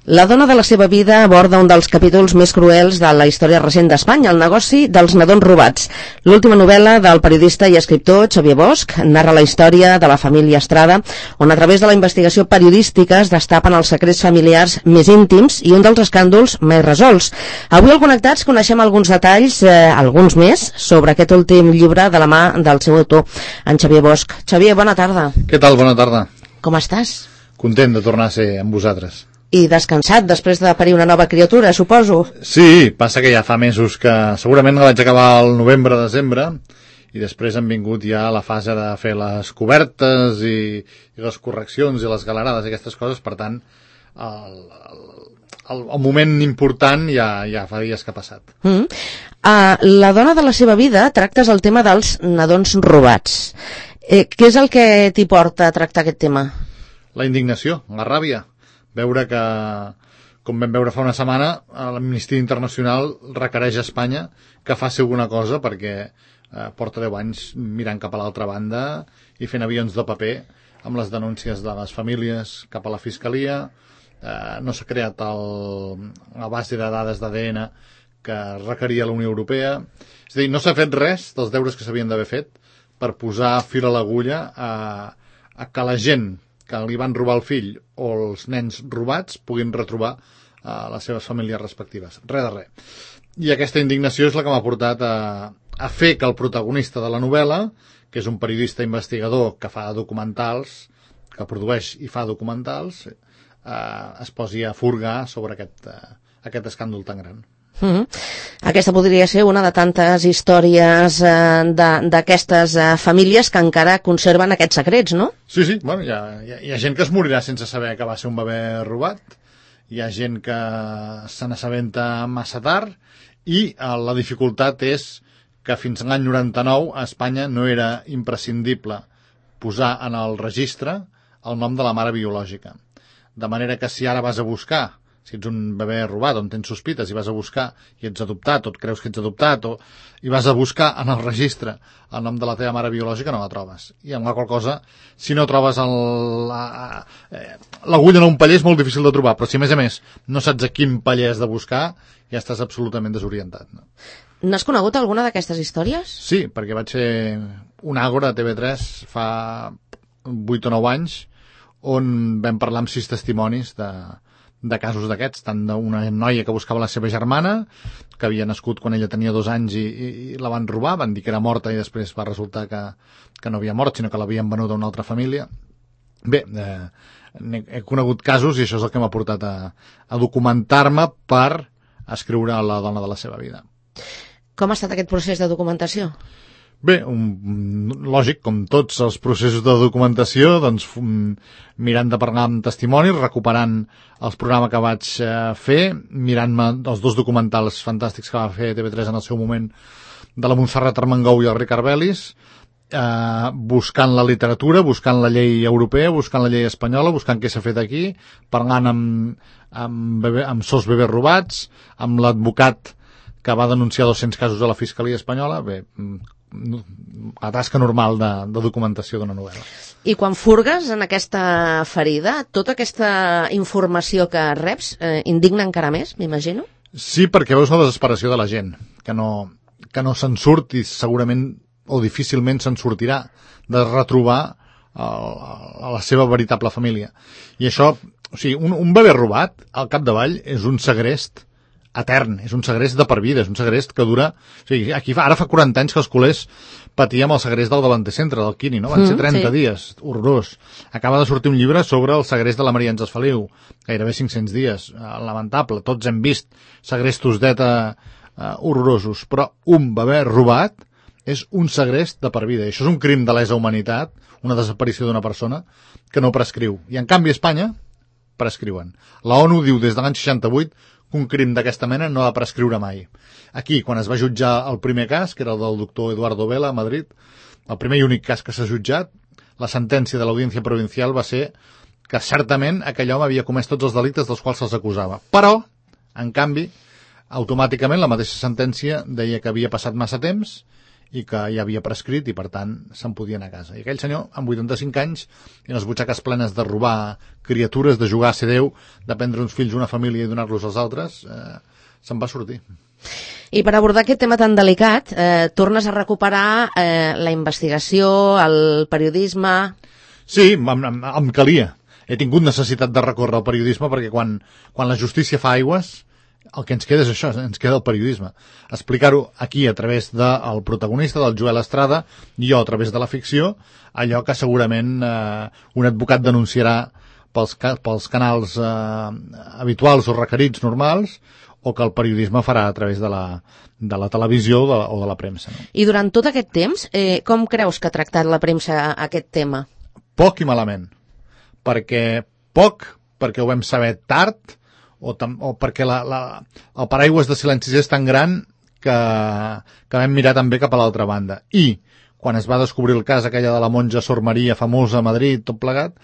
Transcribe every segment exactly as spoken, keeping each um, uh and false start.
La dona de la seva vida aborda un dels capítols més cruels de la història recent d'Espanya, el negoci dels nadons robats. L'última novel·la del periodista i escriptor Xavier Bosch narra la història de la família Estrada, on a través de la investigació periodística es destapen els secrets familiars més íntims i un dels escàndols més resolts. Avui al Connectats coneixem alguns detalls, eh, alguns més, sobre aquest últim llibre de la mà del seu autor, en Xavier Bosch. Xavier, bona tarda. Què tal? Bona tarda. Com estàs? Content de tornar a ser amb vosaltres. I descansat després de parir una nova criatura, suposo. Sí, passa que ja fa mesos que segurament la vaig acabar al novembre-desembre i després han vingut ja la fase de fer les cobertes i, i les correccions i les galerades i aquestes coses, per tant el, el, el moment important ja, ja fa dies que ha passat. Mm. Uh, la dona de la seva vida tractes el tema dels nadons robats. Eh, què és el que t'hi porta a tractar aquest tema? La indignació, la ràbia. Veure que, com vam veure fa una setmana, l'Amnistia Internacional requereix a Espanya que faci alguna cosa perquè eh, porta deu anys mirant cap a l'altra banda i fent avions de paper amb les denúncies de les famílies cap a la Fiscalia. Eh, no s'ha creat el, la base de dades d'A D N que requeria la Unió Europea. És a dir, no s'ha fet res dels deures que s'havien d'haver fet per posar fil a l'agulla a, a que la gent que li van robar el fill o els nens robats puguin retrobar uh, les seves famílies respectives. Res de res. I aquesta indignació és la que m'ha portat a, a fer que el protagonista de la novel·la, que és un periodista investigador que fa documentals, que produeix i fa documentals, uh, es posi a furgar sobre aquest, uh, aquest escàndol tan gran. Mm-hmm. Aquesta podria ser una de tantes històries eh, d'aquestes eh, famílies que encara conserven aquests secrets, no? Sí, sí, bueno, hi ha, hi, ha, hi ha gent que es morirà sense saber que va ser un bebè robat, hi ha gent que se n'assabenta massa tard i eh, la dificultat és que fins a l'any noranta-nou a Espanya no era imprescindible posar en el registre el nom de la mare biològica. De manera que si ara vas a buscar, si ets un bebè robat on tens sospites i vas a buscar i ets adoptat o et creus que ets adoptat o, i vas a buscar en el registre el nom de la teva mare biològica, no la trobes. I amb la qual cosa, si no trobes l'agulla en un paller és molt difícil de trobar, però si a més a més no saps a quin paller has de buscar, ja estàs absolutament desorientat. No? N'has conegut alguna d'aquestes històries? Sí, perquè vaig fer un Àgora a T V tres fa vuit o nou anys on vam parlar amb sis testimonis de de casos d'aquests, tant d'una noia que buscava la seva germana, que havia nascut quan ella tenia dos anys i, i, i la van robar, van dir que era morta i després va resultar que, que no havia mort, sinó que l'havien venut a una altra família. Bé, eh, he conegut casos i això és el que m'ha portat a, a documentar-me per escriure La dona de la seva vida. Com ha estat aquest procés de documentació? Bé, un, lògic, com tots els processos de documentació, doncs mirant de parlar amb testimonis, recuperant els programes que vaig eh, fer, mirant-me els dos documentals fantàstics que va fer T V tres en el seu moment de la Montserrat Armengou i el Ricard Belis, eh, buscant la literatura, buscant la llei europea, buscant la llei espanyola, buscant què s'ha fet aquí, parlant amb, amb, bebé, amb sos bebès robats, amb l'advocat que va denunciar dos-cents casos a la Fiscalia espanyola. Bé, la tasca normal de, de documentació d'una novel·la. I quan furgues en aquesta ferida, tota aquesta informació que reps eh, indigna encara més, m'imagino? Sí, perquè veus la desesperació de la gent, que no, que no se'n surt i segurament o difícilment se'n sortirà de retrobar el, a la seva veritable família. I això, o sigui, un, un bebè robat, al capdavall, és un segrest etern, és un segrest de per vida, és un segrest que dura... O sigui, aquí fa, ara fa quaranta anys que els culers patíem el segrest del Davanter Centre, del Quini, no? Van ser trenta sí. dies, horrorós. Acaba de sortir un llibre sobre el segrest de la Maria Àngels Feliu, gairebé cinc-cents dies, lamentable. Tots hem vist segrestos d'ETA uh, horrorosos, però un bebè robat és un segrest de per vida. I això és un crim de lesa humanitat, una desaparició d'una persona, que no prescriu. I en canvi a Espanya prescriuen. La ONU diu des de l'any seixanta-vuit un crim d'aquesta mena no ha de prescriure mai. Aquí, quan es va jutjar el primer cas, que era el del doctor Eduardo Vela a Madrid, el primer i únic cas que s'ha jutjat, la sentència de l'Audiència Provincial va ser que certament aquell home havia comès tots els delictes dels quals se'ls acusava. Però, en canvi, automàticament la mateixa sentència deia que havia passat massa temps i que ja havia prescrit i per tant se'n podia anar a casa. I aquell senyor, amb vuitanta-cinc anys i les butxaques plenes de robar criatures, de jugar a ser Déu, de prendre uns fills una família i donar-los als altres, eh, se'n va sortir. I per abordar aquest tema tan delicat, eh, tornes a recuperar eh, la investigació, el periodisme... Sí, em, em, em calia. He tingut necessitat de recórrer al periodisme perquè quan, quan la justícia fa aigües, el que ens queda és això, ens queda el periodisme. Explicar-ho aquí a través del protagonista, del Joel Estrada, i jo a través de la ficció, allò que segurament eh, un advocat denunciarà pels, pels canals eh, habituals o requerits normals, o que el periodisme farà a través de la, de la televisió o de la, o de la premsa. No? I durant tot aquest temps, eh, com creus que ha tractat la premsa aquest tema? Poc i malament. Perquè poc, perquè ho vam saber tard, o, tam, o perquè la, la, el paraigües de silencis és tan gran que, que vam mirar també cap a l'altra banda. I quan es va descobrir el cas aquella de la monja Sor Maria, famosa a Madrid, tot plegat,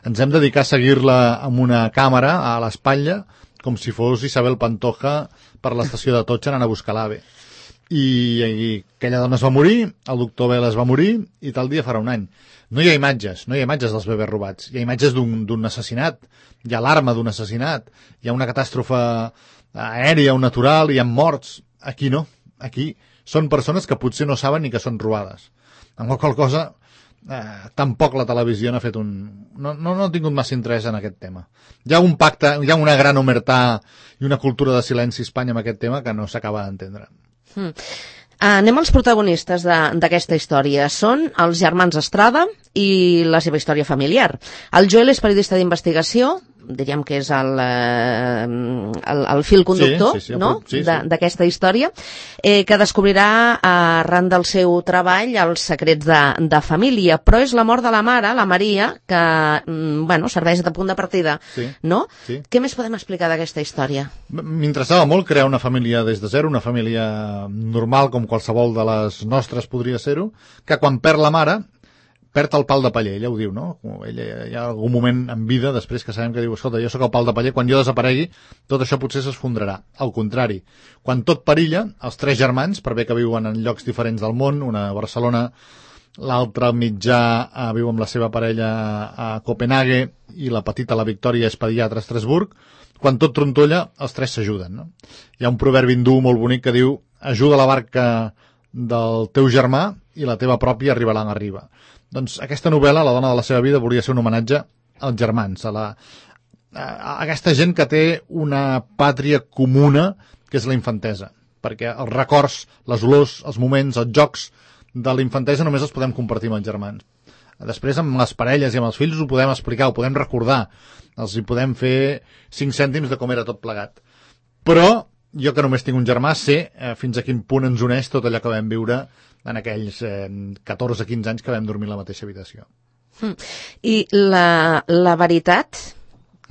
ens hem dedicat a seguir-la amb una càmera a l'espatlla, com si fos Isabel Pantoja per l'estació de Totxa anant a buscar l'AVE. I, I aquella dona es va morir, el doctor Vela es va morir, i tal dia farà un any. No hi ha imatges, no hi ha imatges dels bebès robats. Hi ha imatges d'un assassinat, hi ha l'alarma d'un assassinat, hi ha una catàstrofe aèria o natural, hi ha morts. Aquí no, aquí són persones que potser no saben ni que són robades. Amb qualsevol cosa, eh, tampoc la televisió n'ha fet un... No, no, no ha tingut massa interès en aquest tema. Hi ha un pacte, hi ha una gran omertà i una cultura de silenci a Espanya amb aquest tema que no s'acaba d'entendre. Hmm. Anem als protagonistes d'aquesta història. Són els germans Estrada i la seva història familiar. El Joel és periodista d'investigació, diríem que és el, el, el fil conductor, sí, sí, sí, no? sí, sí. d'aquesta història, eh, que descobrirà arran del seu treball els secrets de, de família, però és la mort de la mare, la Maria, que bueno, serveix de punt de partida, sí, no? Sí. Què més podem explicar d'aquesta història? M'interessava molt crear una família des de zero, una família normal com qualsevol de les nostres podria ser-ho, que quan perd la mare perd el pal de paller, ella ho diu, no? Ella, hi ha algun moment en vida, després que sabem que diu, escolta, jo sóc el pal de paller, quan jo desaparegui, tot això potser s'esfondrarà. Al contrari, quan tot perilla, els tres germans, per bé que viuen en llocs diferents del món, una a Barcelona, l'altre mitjà eh, viu amb la seva parella a Copenhague i la petita, la Victòria, és pediatra a Estrasburg, quan tot trontolla, els tres s'ajuden, no? Hi ha un proverbi hindú molt bonic que diu, ajuda la barca del teu germà i la teva pròpia arribarà a riba. Doncs aquesta novel·la, La dona de la seva vida, volia ser un homenatge als germans, a, la, a aquesta gent que té una pàtria comuna, que és la infantesa, perquè els records, les olors, els moments, els jocs de la infantesa només els podem compartir amb els germans. Després, amb les parelles i amb els fills ho podem explicar, ho podem recordar, els hi podem fer cinc cèntims de com era tot plegat. Però jo, que només tinc un germà, sé eh, fins a quin punt ens uneix tot allò que vam viure en aquells eh, catorze quinze anys que vam dormir a la mateixa habitació. Mm. I la, la veritat,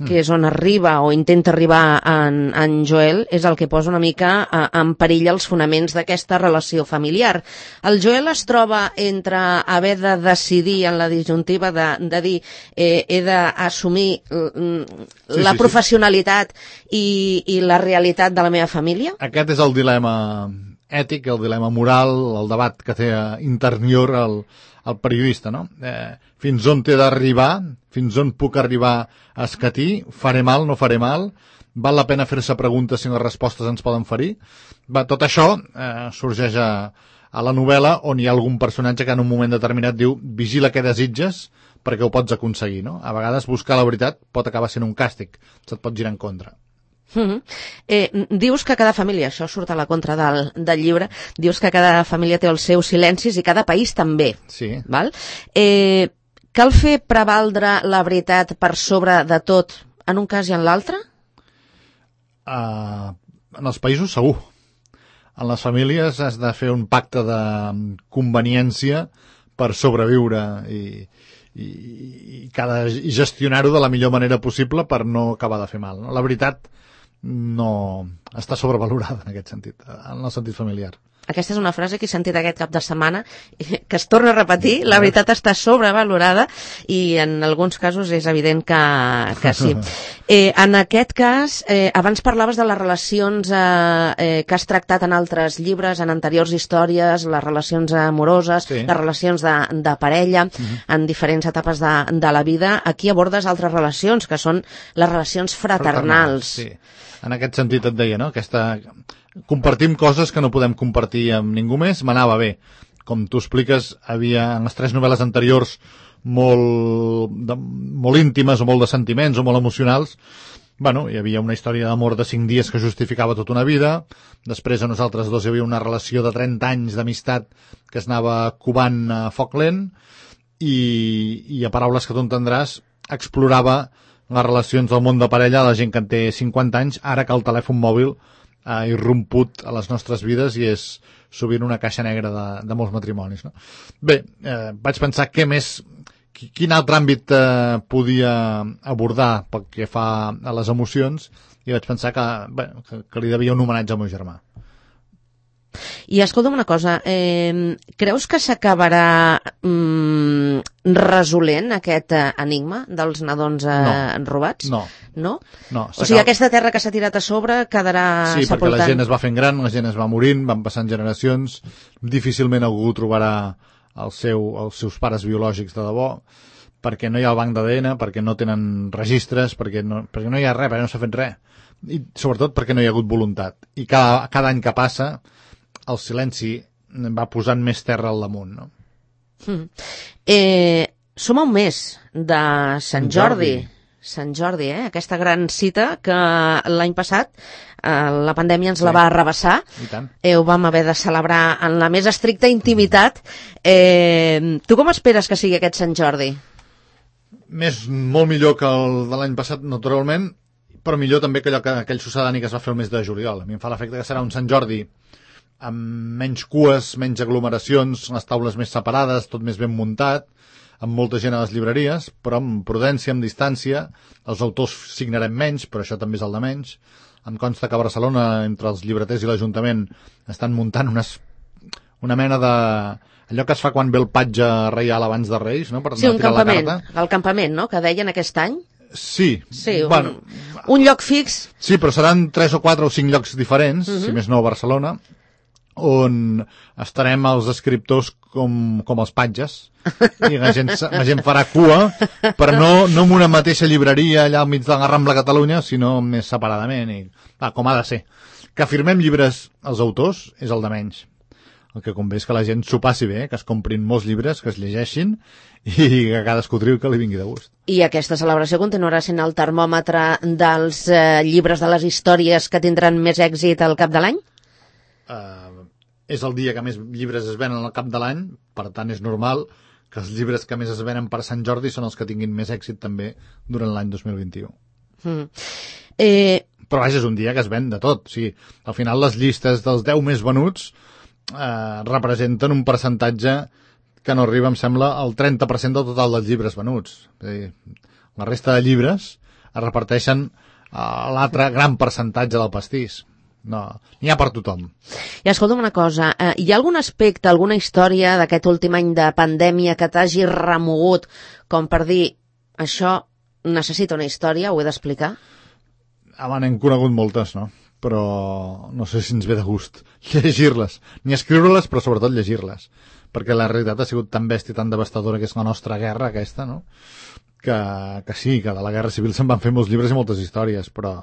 que és on arriba o intenta arribar en, en Joel, és el que posa una mica a, en perill els fonaments d'aquesta relació familiar. El Joel es troba entre haver de decidir en la disjuntiva de, de dir eh, he d'assumir sí, la sí, professionalitat sí. I, i la realitat de la meva família? Aquest és el dilema ètic, el dilema moral, el debat que té interior el, el periodista, no? Eh, fins on té d'arribar, fins on puc arribar a escatir, faré mal, no faré mal, val la pena fer-se preguntes si les respostes ens poden ferir. Va, tot això eh, sorgeix a, a la novel·la on hi ha algun personatge que en un moment determinat diu vigila què desitges perquè ho pots aconseguir, no? A vegades buscar la veritat pot acabar sent un càstig, se't pot girar en contra. Mm-hmm. eh, dius que cada família, això surt a la contra del, del llibre, dius que cada família té els seus silencis i cada país també. Sí. Val? Eh, cal fer prevaldre la veritat per sobre de tot en un cas i en l'altre? Uh, en els països segur. En les famílies has de fer un pacte de conveniència per sobreviure i, i, i, cada, i gestionar-ho de la millor manera possible per no acabar de fer mal, no? La veritat no està sobrevalorada en aquest sentit, en el sentit familiar. Aquesta és una frase que he sentit aquest cap de setmana, que es torna a repetir, la veritat està sobrevalorada i en alguns casos és evident que, que sí. Eh, en aquest cas, eh, abans parlaves de les relacions eh, eh, que has tractat en altres llibres, en anteriors històries, les relacions amoroses, sí. les relacions de, de parella, uh-huh. en diferents etapes de, de la vida. Aquí abordes altres relacions, que són les relacions fraternals. fraternals sí. En aquest sentit et deia, no? Aquesta... Compartim coses que no podem compartir amb ningú més, m'anava bé. Com tu expliques, havia en les tres novel·les anteriors molt, de, molt íntimes o molt de sentiments o molt emocionals. Bueno, hi havia una història d'amor de cinc dies que justificava tota una vida. Després a nosaltres dos hi havia una relació de trenta anys d'amistat que es anava covant a foc lent i, i a paraules que tu entendràs explorava les relacions del món de parella de la gent que en té cinquanta anys, ara que el telèfon mòbil ha irromput a les nostres vides i és sovint una caixa negra de, de molts matrimonis, no? Bé, eh, vaig pensar què més, quin altre àmbit eh, podia abordar pel que fa a les emocions i vaig pensar que, bé, que, que li devia un homenatge al meu germà. I escolta'm una cosa, eh, creus que s'acabarà mm, resolent aquest eh, enigma dels nadons eh, no, robats? No. No? No, o sigui, aquesta terra que s'ha tirat a sobre quedarà sí, sepultant. Sí, perquè la gent es va fent gran, la gent es va morint, van passant generacions, difícilment algú trobarà el seu, els seus pares biològics de debò, perquè no hi ha el banc d'A D N, perquè no tenen registres, perquè no, perquè no hi ha res, perquè no s'ha fet res. I sobretot perquè no hi ha hagut voluntat. I cada, cada any que passa el silenci va posant més terra al damunt, no? Mm. Eh, som a un mes de Sant Jordi. Jordi. Sant Jordi, eh? Aquesta gran cita que l'any passat eh, la pandèmia ens sí. la va arrabassar. I tant. Eh, ho vam haver de celebrar en la més estricta intimitat. Eh, tu com esperes que sigui aquest Sant Jordi? Més, molt millor que el de l'any passat, naturalment, però millor també que allò que aquell sucedani que es va fer el mes de juliol. A mi em fa l'efecte que serà un Sant Jordi amb menys cues, menys aglomeracions, les taules més separades, tot més ben muntat, amb molta gent a les llibreries, però amb prudència, amb distància. Els autors signarem menys, però això també és el de menys. Em consta que a Barcelona, entre els llibreters i l'Ajuntament, estan muntant unes, una mena de... allò que es fa quan ve el patge reial abans de Reis, no? Per sí, un tirar campament, la carta. El campament, no?, que deien aquest any. Sí. Sí, un, bueno, un lloc fix. Sí, però seran tres o quatre o cinc llocs diferents, uh-huh. si més no a Barcelona, on estarem els escriptors com, com els patges i la gent, la gent farà cua, però no, no en una mateixa llibreria allà al mig de la Rambla Catalunya, sinó més separadament i, ah, com ha de ser. Que firmem llibres als autors és el de menys. El que convé és que la gent s'ho passi bé, que es comprin molts llibres, que es llegeixin i que cadascú triu que li vingui de gust. I aquesta celebració continuarà sent el termòmetre dels eh, llibres de les històries que tindran més èxit al cap de l'any? Uh, és el dia que més llibres es venen al cap de l'any, per tant és normal que els llibres que més es venen per Sant Jordi són els que tinguin més èxit també durant l'any dos mil vint-i-u. Mm. Eh... Però vaja, és un dia que es ven de tot. O sigui, al final les llistes dels deu més venuts eh, representen un percentatge que no arriba, em sembla, al trenta per cent del total dels llibres venuts. És a dir, la resta de llibres es reparteixen a l'altre gran percentatge del pastís. No, n'hi ha per tothom. I escolta'm una cosa, eh, hi ha algun aspecte, alguna història d'aquest últim any de pandèmia que t'hagi remogut com per dir, això necessita una història, ho he d'explicar? Home, n'hem conegut moltes, no? Però no sé si ens ve de gust llegir-les, ni escriure-les, però sobretot llegir-les, perquè la realitat ha sigut tan bèstia, tan devastadora que és la nostra guerra aquesta, no? Que, que sí, que de la Guerra Civil se'n van fer molts llibres i moltes històries, però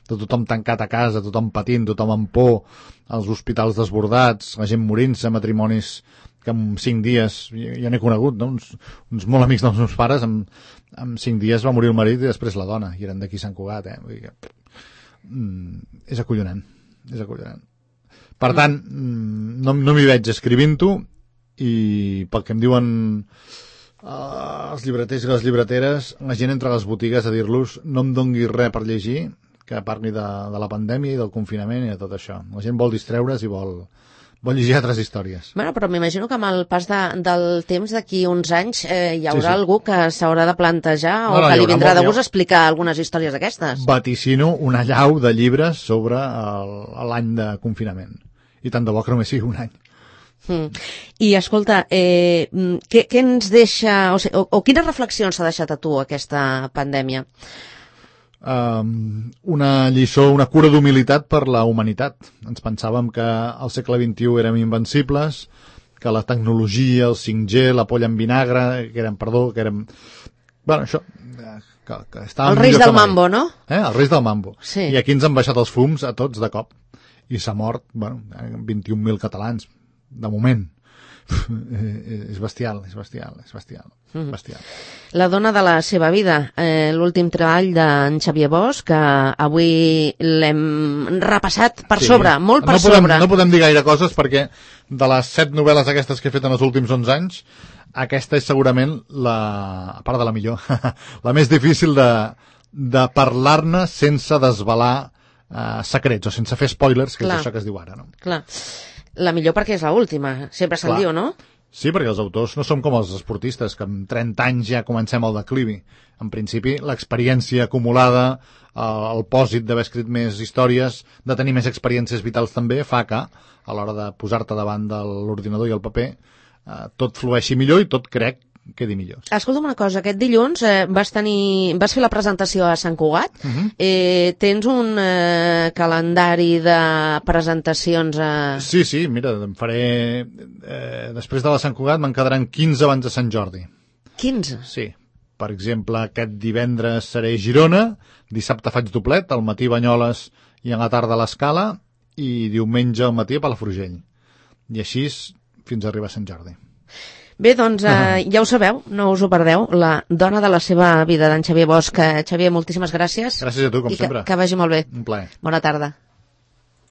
de tothom tancat a casa, tothom patint, tothom amb por, els hospitals desbordats, la gent morint-se, matrimonis que en cinc dies, jo n'he conegut, no? uns, uns molt amics dels meus pares, en, en cinc dies va morir el marit i després la dona, i eren d'aquí Sant Cugat, eh? Vull dir que, mm, és acollonant, és acollonant. Per tant, no, no m'hi veig escrivint-ho, i pel que em diuen Uh, els llibreters i les llibreteres, la gent entra a les botigues a dir-los no em dongui res per llegir que parli de, de la pandèmia i del confinament i de tot això. La gent vol distreure's i vol, vol llegir altres històries. Bueno, però m'imagino que amb el pas de, del temps d'aquí uns anys eh, hi haurà sí, sí. algú que s'haurà de plantejar no, o no, que li vindrà de gust molt... explicar algunes històries d'aquestes. Vaticino una llau de llibres sobre l'any de confinament. i tant de bo que només sigui un any. Mm. I escolta, eh, què, què ens deixa, o, sigui, o, o quines reflexions s'ha deixat a tu aquesta pandèmia? Um, una lliçó, una cura d'humilitat per la humanitat. Ens pensàvem que al segle vint-i-u érem invencibles, que la tecnologia, el cinc G, la polla en vinagre, que érem, perdó, que érem... Bueno, això... Que, que el reis del mambo, no? Eh? El reis del mambo. Sí. I aquí ens han baixat els fums a tots de cop. I s'ha mort, bueno, vint-i-un mil catalans, de moment. És bestial, és bestial, és bestial, mm. bestial. La dona de la seva vida, eh, l'últim treball d'en Xavier Bosch, que avui l'hem repassat per sí. sobre, molt per no podem, sobre. No podem dir gaire coses perquè de les set novel·les aquestes que he fet en els últims onze anys, aquesta és segurament la, a part de la millor, la més difícil de, de parlar-ne sense desvelar eh, secrets o sense fer spoilers, que Clar. És això que es diu ara, no? Clar. La millor perquè és l'última, sempre se'l diu, no? Sí, perquè els autors no som com els esportistes, que amb trenta anys ja comencem el declivi. En principi, l'experiència acumulada, el pòsit d'haver escrit més històries, de tenir més experiències vitals també, fa que, a l'hora de posar-te davant de l'ordinador i el paper, eh, tot flueixi millor i tot, crec, quedi millor. Escolta'm una cosa, aquest dilluns eh, vas tenir, vas fer la presentació a Sant Cugat. Uh -huh. eh, tens un eh, calendari de presentacions a... Sí, sí, mira, em faré... Eh, després de la Sant Cugat me'n quedaran quinze abans de Sant Jordi. quinze? Sí. Per exemple, aquest divendres seré a Girona, dissabte faig doblet, al matí Banyoles i a la tarda a l'Escala, i diumenge al matí a Palafrugell. I així fins a arribar a Sant Jordi. Bé, doncs eh, ja ho sabeu, no us ho perdeu, la dona de la seva vida, d'en Xavier Bosch. Xavier, moltíssimes gràcies. Gràcies a tu, com I sempre. Que, que vagi molt bé. Un plaer. Bona tarda.